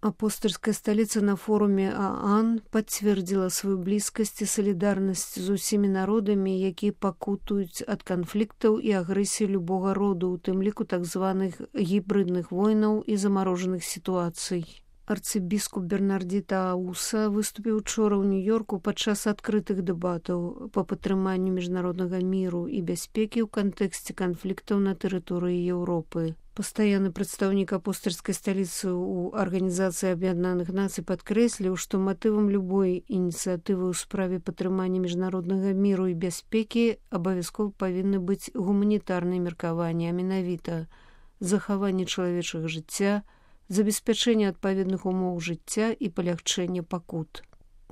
Апостольская столица на форуме ААН подтвердила свою близкасць і салідарнасць з усімі народамі, якія пакутуюць ад канфліктаў і агрэсіі любога роду, у тым ліку так званых гібридных войнаў і замарожаных сітуацый. Арцыбіскуп Бернардзіта Ауса выступіў учора ў Нью-Йорку падчас адкрытых дэбатаў па падтрыманню міжнароднага міру і бяспекі ў кантэксце канфліктаў на тэрыторыі Еўропы. Пастаянны прадстаўнік апостольскай сталіцы ў Арганізацыі Аб'яднаных Нацый падкрэсліў, што матывам любой ініцыятывы ў справе падтрымання міжнароднага міру і бяспекі абавязкова павінны быць гуманітарныя меркаванні, а менавіта захаванне чалавечага жыцця, забеспячэнне адпаведных умоў жыцця і палягчэнне пакут.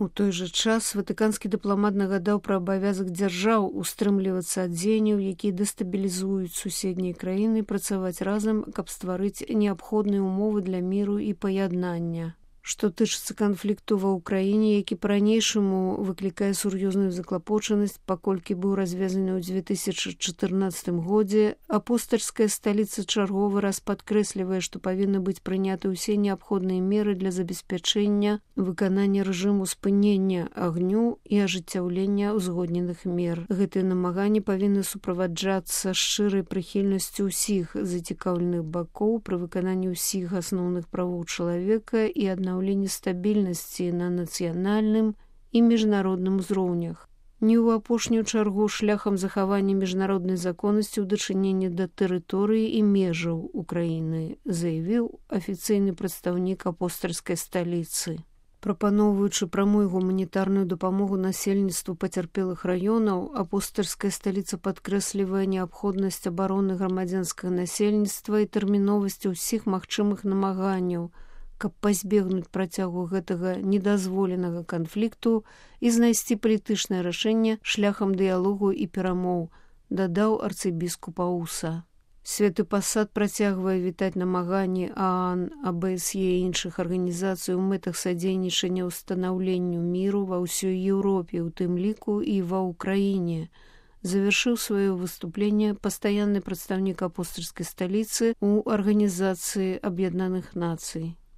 У той жа час ватыканскі дыпламат нагадаў пра абавязак дзяржаў устрымлівацца ад дзеянняў, якія дэстабілізуюць суседнія краіны, працаваць разам, каб стварыць неабходныя ўмовы для міру і паяднання. Што тычыцца канфлікту ва ўкраіне, які па-ранейшаму выклікае сур'ёзную заклапочанасць, паколькі быў развязаны ў 2014 годзе, апостальская сталіца чарговы раз падкрэслівае, што павінны быць прыняты ўсе неабходныя меры для забеспячэння выканання рэжыму спынення агню і ажыццяўлення ўзгодненых мер. Гэтыя намаганні павінны суправаджацца шчырай прыхільнасцю ўсіх зацікаўленых бакоў пры выкананні ўсіх асноўных правоў чалавека і аднаўленні стабільнасці на нацыянальным і міжнародным узроўнях. Не ў апошнюю чаргу шляхам захавання міжнароднай законнасці ў дачыненні да тэрыторыі і межаў Украіны, заявіў афіцыйны прадстаўнік апостальскай сталіцы. Прапаноўваючы прамую гуманітарную дапамогу насельніцтву пацярпелых раёнаў, апостальская сталіца падкрэслівае неабходнасць абароны грамадзянскага насельніцтва і тэрміновасць усіх магчымых намаганняў, каб пазбегнуць працягу гэтага недазволенага канфлікту і знайсці палітычнае рашэнне шляхам дыялогу і перамоў, дадаў арцыбіскуп Ауса. Святы пасад працягвае вітаць намаганні ААН, АБСЕ і іншых арганізацый у мэтах садзейнічання ўстанаўленню міру ва ўсёй Еўропе, у тым ліку і ва ўкраіне. Завершыў сваё выступленне пастаянны прадстаўнік апостальскай сталіцы ў Арганізацыі Аб'яднаных Нацый.